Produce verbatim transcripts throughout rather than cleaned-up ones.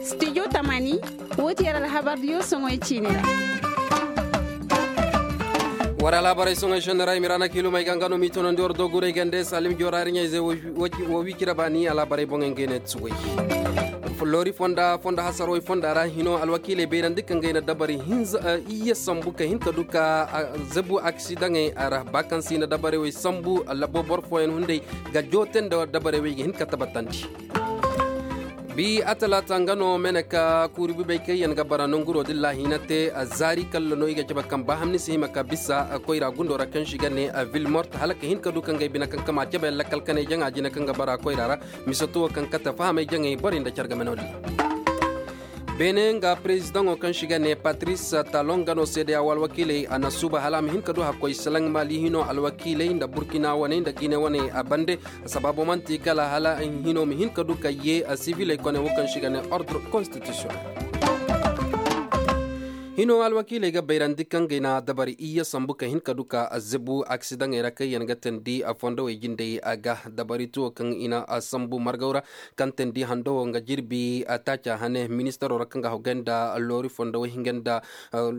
Studio tamani, woo ti yar alhabar diyo soŋoy ciini ra. War alhabarey soŋoy senney ra i ma ra na kiilumey ga nga no m'i toonandi war dooguray gande salim joora riɲayze. Woo wi cire baani alhabarey boŋey ngey ne tuwey. Loori fonda fonda hasarowey fonda ra hino alwakiiley bayrandi kaŋ ga i na dabari hinza iyye sambu ka hin ka du ka zebu aksidaŋey ra ba kaŋ se i na dabarey wey sambu labo boro fooyaŋ hunday ga joote nda dabarey wey ga hin ka tabatandi. Bi a talaata nga no mene ka kuuri bibey kaŋ yaŋ ga bara nanguro din laahiina te zaari kalla no i ga cabe kaŋ ba hamni si hima ka bisa koyra gundo ra kaŋ si ga ne vilmort hala ka hin ka du kaŋ ga ay bine kaŋ kama cabe lakkal kanay jaŋa jine kaŋ ga bara koyra ra. Misoto wo kaŋ kate fahamay jaŋay borey nda care game no din. Beene nga perezidaŋo kaŋ si ga ne patris talon ga no seedeya wo alwakiiley a na suuba hala a ma hin ka du hakkoy salaŋ mali hino alwakiiley nda burkina waney nda gine waney a bande. Sabaabo man'ti kala hala hino ma hin ka du ka yee siviley kone wo kaŋ si ga ne ordre konstitisiyonel. Hino alwakiiley ga bayrandi kaŋ gay na dabari iyye sambu ka hin ka du ka zebu aksidaŋey ra kaŋ yaŋ ga teendi fondowey jindey a ga dabari tuwo kaŋ i na sambu margaw ra. Kaŋ teendi hando wo nga jirbi taaca hane ministaro ra kaŋ ga haggay nda loori fondowey hinga nda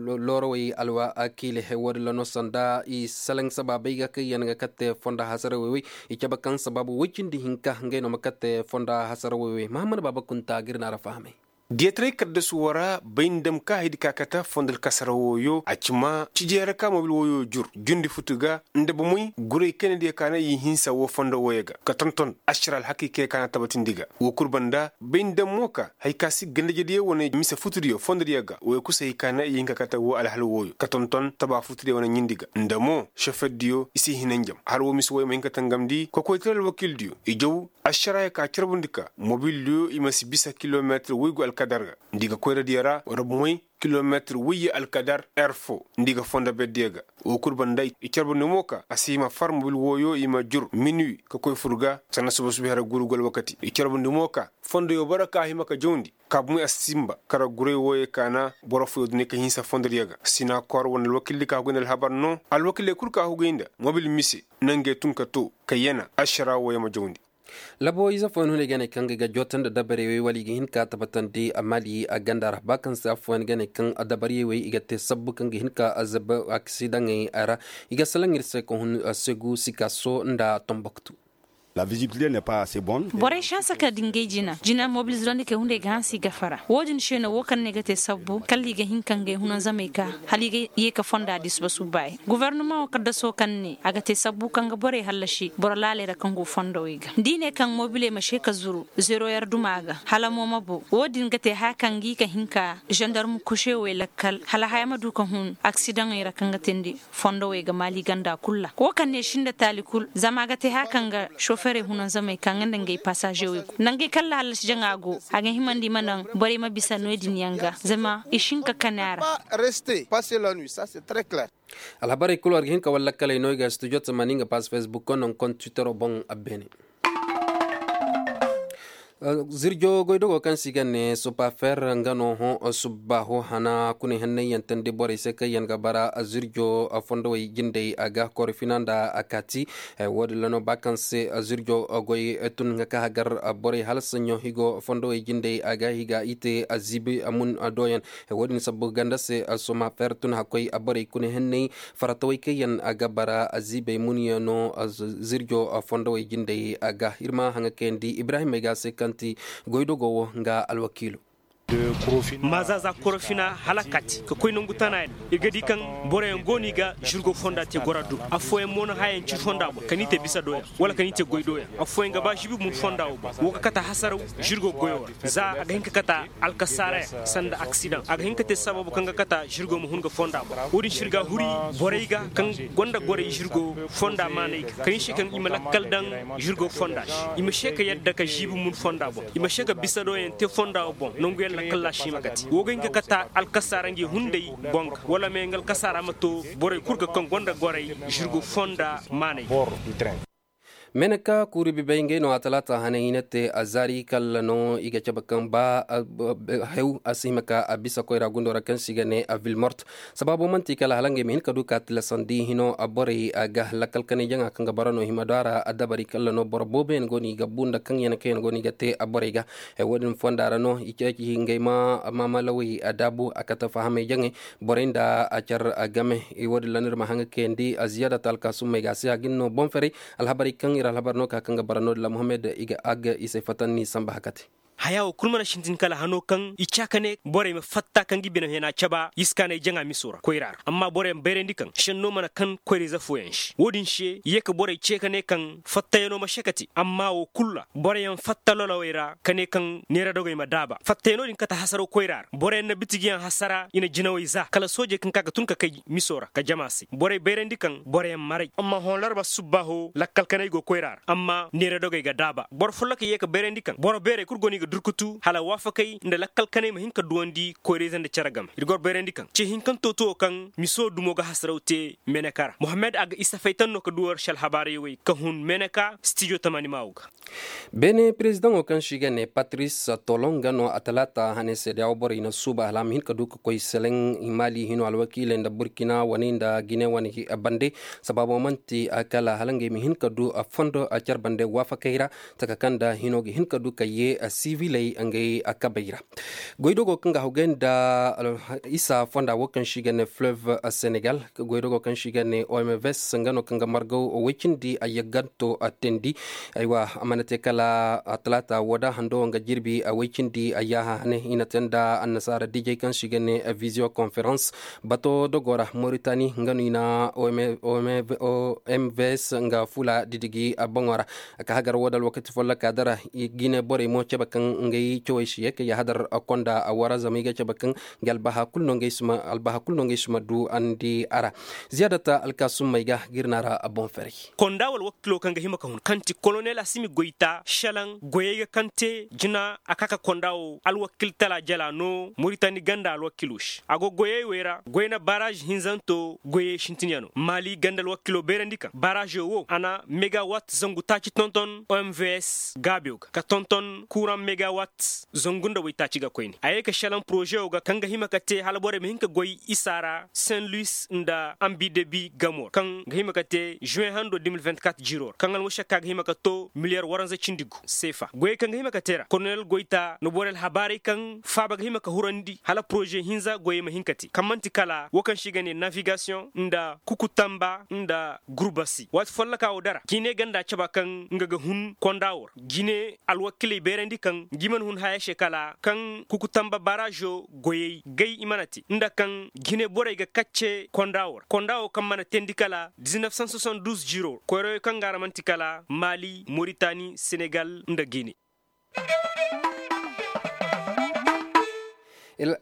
loorawey alwakiiley wo- din ra no sanda i salaŋ sabaabey ga kaŋ yaŋ ga kate fonda hasarawey wey. I cabe kaŋ sabaabu woy cindi hinka ngey no ma kate fonda hasarawey wey mahammad baaba kunta ga ir na ra fahamay. Diyataray kaddasu wo ra bay nda ma ka haydi ka kate fondo alkasara wooyo a ci ma cijey ra ka mobil wooyo jur jundi futu ga nda bomey guray kayna diya ka na i hinsa woo fondo wooyo ga ka tonton ašara alhakay kay ka na tabatindi ga woo kul banda bay nda ma mo ka hari ka si gandajediyo wane mise futudiyo fondodiyo ga wooyo kul se hari ka na i hin ka kate woo alhal wooyo ka tonton taba futudiyo wane ɲindi ga nda mo šoferdiyo i si hina njam hala woo mise wooyo ma hin ka tangamndi kokoytaray alwakiildiyo i jaw ašaraayo ka carbundi ka mobildiyo i ma si bisa kilometir woygu alkadar ga nda i ga koyradiyo ra wala bomey kilometir woyye alkadar er foo nda i ga fondo berdiyo ga woo kul banda i carbundi mo ka a si hima far mobil wooyo i ma jur minuwi ka koy fur ga sanda suba suba hera guuru go alwakati i carbundi mo ka fondoyo boro ka hima ka jawndi ka bomey a si sinba kara guray wooyo ka na boro fooyo duni ka hinsa fondodiyo ga sina koor wane alwakiildi ka hugay nda alhabar no alwakiiley kul ka hugay nda mobil mise nangey tun ka too ka yana ašaraa wooyo ma jawndi. Labo ize fooyaŋ hunay ga ne kaŋ ga i ga jootandi dabarey wey wala i ga hin ka tabatandi mali ganda ra ba kaŋ se affooyaŋ ga ne kaŋ dabarey wey i ga te sabbu kaŋ ga hin ka zabe aksidaŋey ra. I ga salaŋ ir se ka hun segu sikaso nda tomboktu. Borey sansa ka dingay jina jina mobilizirandi kay hunday ga hansi gafara wo-din se no wo kaŋ ne ga te sabbu kala i ga hin ka ngey hunanzamey ka hala i ga ye ka fonda di suba subbaayi gofornama wo kaddaso kaŋ ne a ga te sabbu kaŋ ga borey hallasi boro laaley ra kaŋ go fondowey ga da i ne kaŋ mobiley ma se ka zuru zero yer duma ga hala mo ma bo wo-din ga te haya kaŋ ga i ka hin ka zandarm kusewey lakkal hala haya ma du ka hun aksidaŋey ra kaŋ ga teendi fondowey ga maali ganda kul ra wo kaŋ ne sinda taali kul zama a ga te haya kaŋ ga soferey hunanzamey ka nga nda ngey pasažewey go nangey kaŋ ra hallasi jaŋa go a ga himandi i ma naŋ borey ma bisa no-din yaŋ ga zama i si hin ka kani a ra. Alhabarey kulu war ga hin ka wallakkaley no i ga studio tamani nga pass facebook kono nga kontu twittero boŋ. Abbeene zirjo goydogo kaŋ se i ga ne supafer nga no hõ subbaaho hana kuna henney yaŋ teendi borey se kaŋ yaŋ ga bara zirjo fondowey jindey a ga korofina nda a kaati. Wo- din ra no ba kaŋ se zirjo goy tun nga ka hagar borey hala saɲɲo higo fondowey jindey a ga higa i te ziibi mun doyaŋ. Wo- din sabbu ganda se soma fer tun hakkoy borey kuna henney faratawey kaŋ yaŋ a ga bara ziibey munyaŋo zirjo fondowey jindey a ga ir ma haŋa kayandi ibrahim ay ga se kaŋ ti goydogo wo nga alwakiilo. Maazaza korofina hala kati ka koy nangu tana yaŋ i ga di kaŋ boroyaŋ go no i ga žirgo fonda te gora du affooyaŋ mo no hayaŋ cir fonda boŋ ka ni te bisa doyaŋ wala ka ni te goy doyaŋ affooyaŋ ga ba žibi mun fonda wo boŋ wo ga kata hasaraw žirgo goyo ra za a ga hin ka kata alkasaara yaŋ sanda aksidaŋ a ga hin ka te sababu kaŋ ga kata žirgo ma hun ga fonda boŋ wo- din se ir ga huri borey ga kaŋ gonda gorey žirgo fonda maaney ga kaŋ i se kaŋ i ma lakkal daŋ žirgo fonda se i ma se ka yadda ka žiibi mun fonda boŋ i ma se ka bisa doyaŋ te fonda wo boŋ nangu yaŋ lakkal ra se i ma kati wo ga hin ka kata alkasaara ngey hunday boŋ ga wala me nga alkasaara ma to borey kul ga kaŋ gonda gorey žirgo fonda maaney ga. Meneka kuuri bibey ngey no a talaata hane hina te a zaari kalla no i ga cabe kaŋ ba hew a si hima ka a bisa koyra gundo ra kaŋ se i ga ne a vilmort. Sabaabo man'ti kala hala ngey ma hin ka du ka tilasandi hino a borey ga lakkal kanay jaŋa kaŋ ga bara no hima do a ra a dabari kalla no boro booboyaŋ go no i ga bu nda kaŋ yaŋ kaŋ yaŋ go no i ga te a borey ga. Wo- din fonda ra no i ceeci ngey ma maamalawey a daabu a kate fahamey jaŋey borey nda a car game. Wo- din ra no ir ma haŋ ga kayandi a ziyaada ta alkaasummey ga a si hagin no boŋ ferey. Alhabarey kaŋ ir alhabar no ka kaŋ ga bara no- din ra muhammad i ga ag i se fatanni samba hakate. Haya wo kul mana sintin kala hano kaŋ i ca ka ne borey ma fatta kaŋ ga i bine hena caba iskaanay jaŋa miso ra koyra ra amma boroyaŋ bayrandi kaŋ senno mana kaŋ koyra ize fooyaŋ se wo- din se i ye ka borey ce ka ne kaŋ fattayaŋo ma se ka te amma wo kul ra boroyaŋ fatta lolowey ra ka ne kaŋ neera dogey ma daaba fattayaŋo din kate hasaraw koyra ra boroyaŋ na bitigiyaŋ hasara i na jinawey za kala soojey kaŋ ka ga tun ka kay miso ra ka jama se borey bayrandi kaŋ boroyaŋ maray amma hõ larba subbaaho lakkal kanay go koyra ra amma neera dogey ga daaba boro folloka ye ka bayrandi kaŋ boro beerey kul go no i ga durkutu hala waafakey nda lakkal kanay ma hin ka duwandi koyrayze nda cere game ir goro bayrandi kaŋ ce hinkanto to wo kaŋ miso dumo ga hasaraw te meneka ra mohammed a ga isa faytan no ka du war se alhabaarey wey ka hun meneka stijo tamani maawo ga. Beene perezidaŋo kaŋ se i ga ne patris tolon nga no a talaata hane seedeyawo borey na suuba hala a ma hin ka du ka koy seleŋ maali hino alwakiiley nda burkina wane nda gine wane bande. Sabaabo man'ti kala hala ngey ma hin ka du fondo car bande waafakey ra taka kaŋ nda hino ga hin ka du ka ye siviley ngey kabey ra. Goydogo kaŋ ga hawgay nda isa fonda wo kaŋ se i ga ne fleuve senegal goydogo kaŋ se i ga ne omvs nga no kaŋ ga margaw woy cindi a yagganto a teendi. Aywa a mana te kala talaata wo da hando nga jirbi a woy cindi a yaaha hane i na te nda annasaara dijey kaŋ se i ga ne visio conference bato dogo ra moritani nga no i na omvs nga fula didigi boŋo ra. A ka hagar wo da alwakati folloka dara gine borey mo cabe kaŋ ngey cawey si ye ka yahadar konda a wara zama i ga cabe kaŋ nga albaha kulu no ngey si ma du andi a ra. Ziyaadata alkaasummey ga ga ir na a ra boŋ ferey. Konda wala wakkilo kaŋ ga hima ka hun kaŋ ti kolonel asimi goyta šelaŋ goyey ga kaŋ te jina a ka ka konda wo alwakil tala jala no moritani ganda alwakilo se a go goyey wey ra goyna baraž hinzanto goyey sintinyano maali ganda alwakilo beerandi kaŋ baražo wo a na megawat zangu taaci tonton omvs gaabiyo ga ka tonton kuraŋ megawat zangu nda waytaaci ga koyne a ye ka šelaŋ porozewo ga kaŋ ga hima ka te hala borey ma hin ka goy isa ra saint luis nda ambidebi gamo ra kaŋ ga hima ka te žuwen hando de mil vingt-quatre jiro ra kaŋ almušakka ga hima ka to miliyar waranza cindi gu seefa goyey kaŋ ga hima ka te ra kolonel goyta na borey alhabaarey kaŋ faaba ga hima ka hurandi hala poroze hinza goyey ma hin ka te kaŋ man'ti kala wo kaŋ se i ga ne navigasiyoŋ nda kukutamba nda gurbasi waati folloka wo dara gine ganda caba kaŋ nga ga hun konda wo ra gine alwakiley beerandi kaŋ ngi mana hun haya se kala kaŋ kukutamba baražo goyey gay i mana te nda kaŋ gine borey ga kacce konda wo ra konda wo kaŋ mana teendi kala diznef san sosan duz jiro koyroyo kaŋ ga a ra man'ti kala maali moritani senegal nda gine.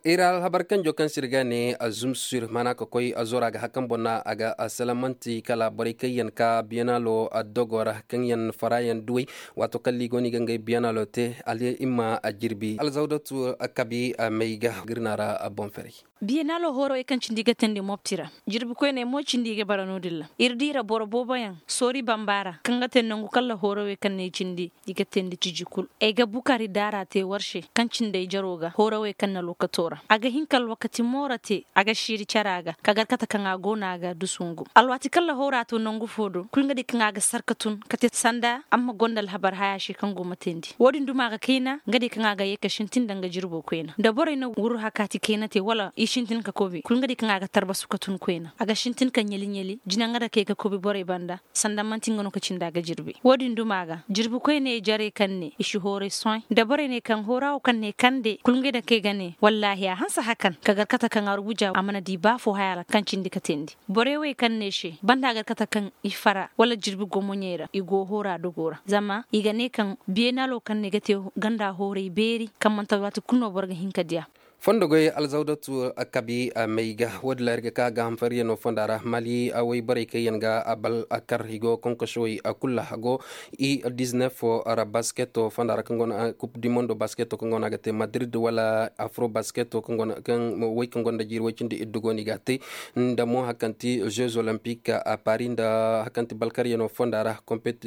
Ir alhabar kanjo kaŋ se ir ga ne a zumsir mana ka koy a zora ga hakan boŋ na a ga a salamanti kala borey kaŋ yaŋ ka biyanalo a dogo ra kaŋ yaŋ fara yaŋ duwey. Waato kaŋ liigo no i ga ngey biyanalo te ali i ma a jirbi alzawdatu kabi may ga ga ir na ra a boŋ ferey. Biyanalo hoorawey kaŋ cindi i ga teendi mopti ra jirbi koyney mo cindi i ga bara no- din ra ir di ra boro booboyaŋ soori bamba ra kaŋ ga te nangu kala hoorawey kaŋ ne cindi i ga teendi ciji kul ay ga bukari daara te war se kaŋ cindi ay jaro ga hoorawey kaŋ na lokato ra a ga hin ka alwakati moora te a ga siiri cara ga ka gar kate kaŋ a go no a ga dusu ngu alwaati kala hoora to nangu fo do kul nga di kaŋ a ga sarka tun ka te sanda amma gonda alhabar haya se kaŋ go ma teendi wo- din duma ga kayna nga di kaŋ a ga ye ka sintin danga jirbo koyna nda borey na wuru hakaati kayna te wala i sintin ka kobi kul nga di kaŋ a ga tarbasu ka tun koyna a ga sintin ka ɲali ɲali jina nga da kay ka kobi borey banda sanda man'ti nga no ka cindi a ga jirbi wo- din duma ga jirbi koyney jarey kaŋ ne i si hooray sohãy nda borey ne kaŋ hoorawo kaŋ ne kande kul ngey daŋ kay ga ne wallaahi a hanse hakan ka gar kate kaŋ arbuja a mana di ba fo haya ra kaŋ cindi ka teendi borey wey kaŋ ne se banda gar kate kaŋ i fara wala jirbi gomoɲey ra i go hoora dogo ra zama i ga ne kaŋ biyeenalo kaŋ ne ga te ganda hooray beeri kaŋ man'ti alwaati kul no boro ga hin ka diya. Fondo goy alzawdatu kabi may ga woodi la ir ga ka gaaham fariyano fonda ra mali way borey kaŋ yaŋ ga bal kar i go konkosowey kul ra go i diznef ra basketo fonda ra kaŋ go no kup di mondo basketo kaŋ go no a ga te madrid wala afro basketo kaŋ go no kaŋ way kaŋ gonda jiiri way cindi iddu go no i ga a te. Nda mo hari kaŋ ti jeux olympique a paris nda hari kaŋ ti bal karyano fonda ra kompet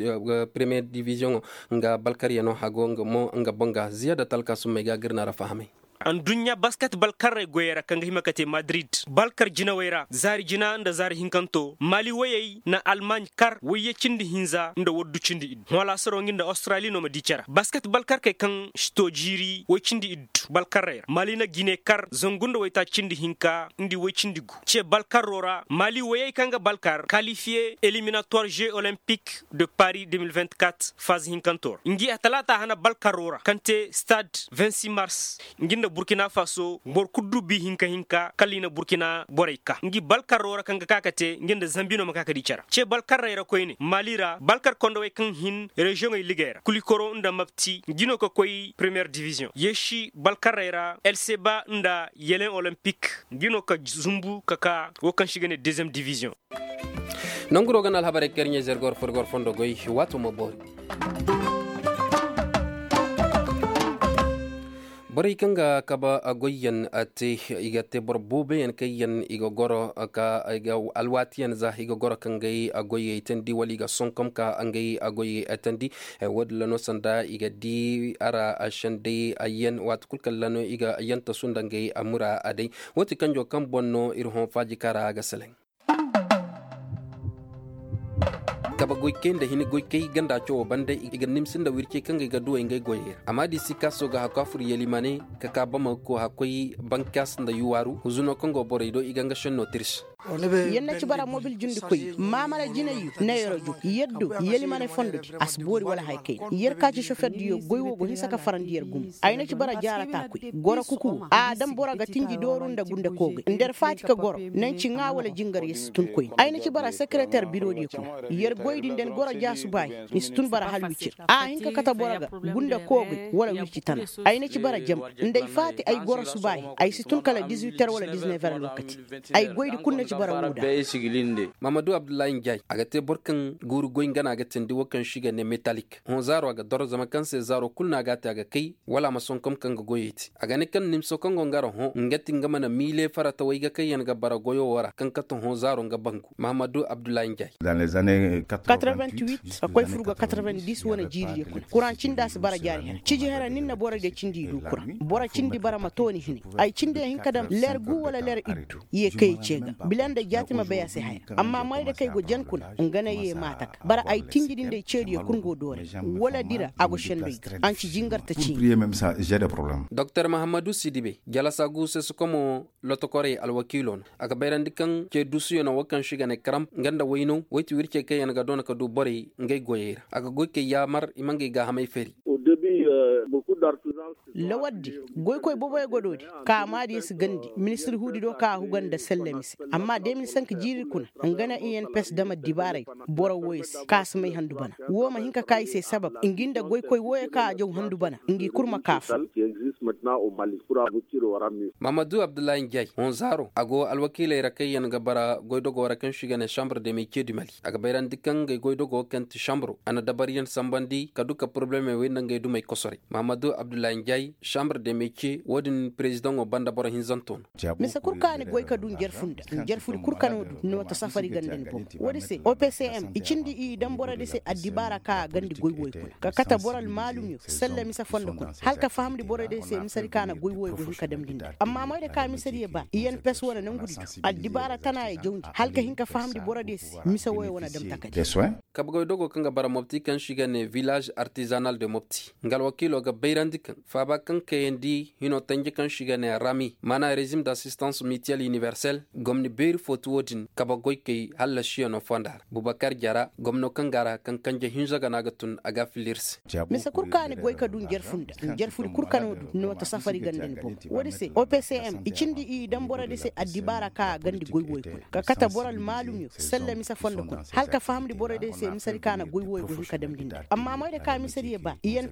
première division nga bal karyano a go nga mo nga boŋ ga ziyada talka summey ga ga ir na ra fahamay. Anduɲɲa basket balkarrey goyey ra kaŋ ga hima ka te madrid balkar jinawey ra zaari jina nda zaari hinkanto mali woyey na almaaɲ kar wayye cindi hinza nda waddu cindi iddu hõ laasaro nga nda australi no ma di care basket balkarkey kaŋ si to jiiri way cindi iddu balkarrey ra mali na gine kar zangu nda waytaaci cindi hinka nda way cindi gu ce balkarro ra mali woyey kaŋ ga balkar kalifiye eliminatoire jeux olympique de paris deux mille vingt-quatre faz hinkanto ra ngi a talaata hana balkarro ra kaŋ te stade vingt-six mars ngi nda burkina faso boro kul du bi hinka hinka kala i na burkina borey ka ngi balkarro ra kaŋ ga ka ka te ngi nda zambi no ma ka ka di care ce balkarrey ra koyne mali ra balkar kondowey kaŋ hin reziyoŋey ligey ra kulikoro nda mabti ngi no ka koy première division yeesi balkarrey ra el seba nda yelen olympique ngi no ka zumbu ka ka wo kaŋ se i ga ne deuxième division. Nanguro ga na alhabarey kaŋ ir ɲey zergor furgor fondo goy waato ma boori. Borey kaŋ ga kabe goyyaŋ te i ga te boro booboyaŋ kaŋ yaŋ i ga goro ka alwaatiyaŋ za i ga goro ka ngey goyyey teendi wala i ga sonkom ka ngey goyyey teendi. Wo- din ra no sanda i ga di a ra sendey yaŋ waati kulu kaŋ ra no i ga yaŋ tasu nda ngey mura day. Wo- ti kanjo kaŋ boŋ no ir hõ faaji kaŋ ra a ga seleŋ. Kabe goykey nda hini goykey ganda cawo banda i ga nimsi nda wircey kaŋ ga i ga duwey ngey goyey ra amma da i si kaaso ga hakku a fur yelimane ka ka bama ga koy hakkoy bankaas nda yuwaaru huzuno kaŋ go borey do i ga nga šenno tirsi. Yer na ci bara mobil jundikoy maamala jinay yu na yer jug yer du yelimane fondodi a si boori wala haya kayna yer ka ci soferdiyo goy wo go hinsa ka farandi yer gumo. Ay na ci bara jaara taakoy goro kuku a daŋ boro ga tinji dooru nda gunda koogay nda yer faati ka goro naŋ ci ŋaa wala jingar yer si tun koyne ay na ci bara sekereter birodiyo kuna yer goydi nda ni goro jaasubaahi ni si tun bara hal wicir a hin ka kate boro ga gunda koogay wala wirci tana. Ay na ci bara jamba nda ay faati ay goro subaahi ay si tun kala dizuwiter wala dizunever alwakati. Ay goydi kul na ci bara woo da. Mahamadu abdullahi njay a ga te boro kaŋ guuru goy nga no a ga tindi wo kaŋ se i ga ne metalik hõ zaaro a ga doro zama kaŋ se zaaro kul no a ga a te a ga kay wala a ma sonkom kaŋ ga goyey te a ga ne kaŋ nimso kaŋ go nga ra hõ nga ti nga mana miile faratawey ga kaŋ yaŋ ga bara goyo wo ra kaŋ kate hõ zaaro nga bangu. Mahamadu abdullahi njay. Quatre-vingt-huit ka koy fur ga quatre-vingt-dix wane jiiridiyo kuna kuraŋ cindi a si bara jaari hera ciji hera nin na boro diyo cindi i du kuraŋ boro cindi bara ma tooni hinay. Ay cindi ay hin ka daŋ leer gu wala leer iddu ye kay ce ga bila nda jaati ma bay a se haya amma moy da kay go jan kuna nga na ye maata ga bara ay tinji din day ceediyo kul go doore wala dira a go sendey ga an ci jingar ta ciini. Doktor mahammadu sidibe jalasa gu sesukomo lotokorey alwakiilo no a ga bayrandi kaŋ ce duusuyo no wo kaŋ se i ga ne karamp nga nda waynaw woy ti wircey kaŋ yaŋ ga doona ka du borey ngey goyey ra a ga goy kay yaamar i ma ngey gaahamey fari. Lawardi goykoy boboyo go doodi ka maadi si gandi ministir huudi do ka a huga nda sellemi se amma de mil sank jiiri kuna nga na i n pes dama dibaaray kuna boro wooyo se ka si may handu bana woo ma hin ka ka i se sabab ngi nda goykoy wooyo ka a jaw handu bana ngi kul ma ka fo. Mahamadu abdullahi njay honzaaro a go alwakiiley ra kaŋ yaŋ ga bara goydogoo ra kaŋ se i ga ne sambre de metier du mali a ga bayrandi kaŋ ngey goydogoo kaŋ ti sambro a na dabaryaŋ sambandi ka du ka poroblemey wey nda ngey dumey kosoray mahamadu abdullahi njay sambre de metier wo-din perezidaŋo banda boro hinzanto no. Mise kul ka ni goy ka du njarfu nda njarfudi kul ka no du no ta safari ganda ni boŋ. Wo-din se opcm i cindi i daŋ borodi se addibaara ka a gandi goy woy kuna ka kate boro almaalumyo salla mise fondo kuna hala ka fahamndi borodiyo se misedi ka na goy woy go hin ka damndi nda amma moyda ka misediyo ba i yan pes wane nangudi do addibaara tana ye jawndi hala ka hin ka fahamndi borodiyo se mise woyo wane dam takadi. Kabe goy dogo kaŋ ga bara mopti kaŋ se i ga ne village artisanal de mopti nga alwakiilo ga bayrandi kaŋ faaba kaŋ kayandi hino tanji kaŋ se i ga ne rami maana rezim d'assistance mitiel universel gomni beeri fo ti wo-din kabe goykey hallasiyaŋo fonda ra bubakar jara gomno kaŋ ga a ra kaŋ kanje hinza ga no a ga tun a ga a filla ir se. Mise kul ka ni goy ka du njarfu nda njarfudi kul ka no du no ta safari ganda ni boŋ. Wo-din se opcm i cindi i daŋ borodi se addibaara ka a gandi goy woy kuna ka kate boro almaalumyo salla mise fondo kuna hala ka fahamndi borodiyo se misedi ka na goy woy go hin ka damndi nda amma moyda ka misediyo ba i yan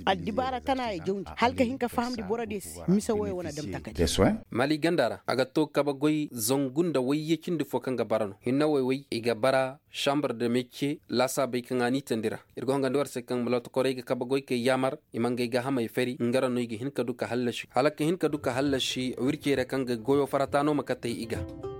Addibaara tana ya jawndi hala ka hin ka fahamndi borodiyo se. Mise woyo wane dam takadi. Mali ganda ra a ga to kabe goy zangu nda wayye cindi fo kaŋ ga bara no hinne woy woy i ga bara. Sambar de mecce laasaabey kaŋ a n'i tandi ra. Ir ga hongandi war se kaŋ ma lootakorey ga kabe goy kay yaamar i ma ngey gaahamey fari nga ra no i ga hin ka du ka hallasi hala ka hin ka du ka hallasi wircey ra kaŋ ga goyo farata no ma katey i ga.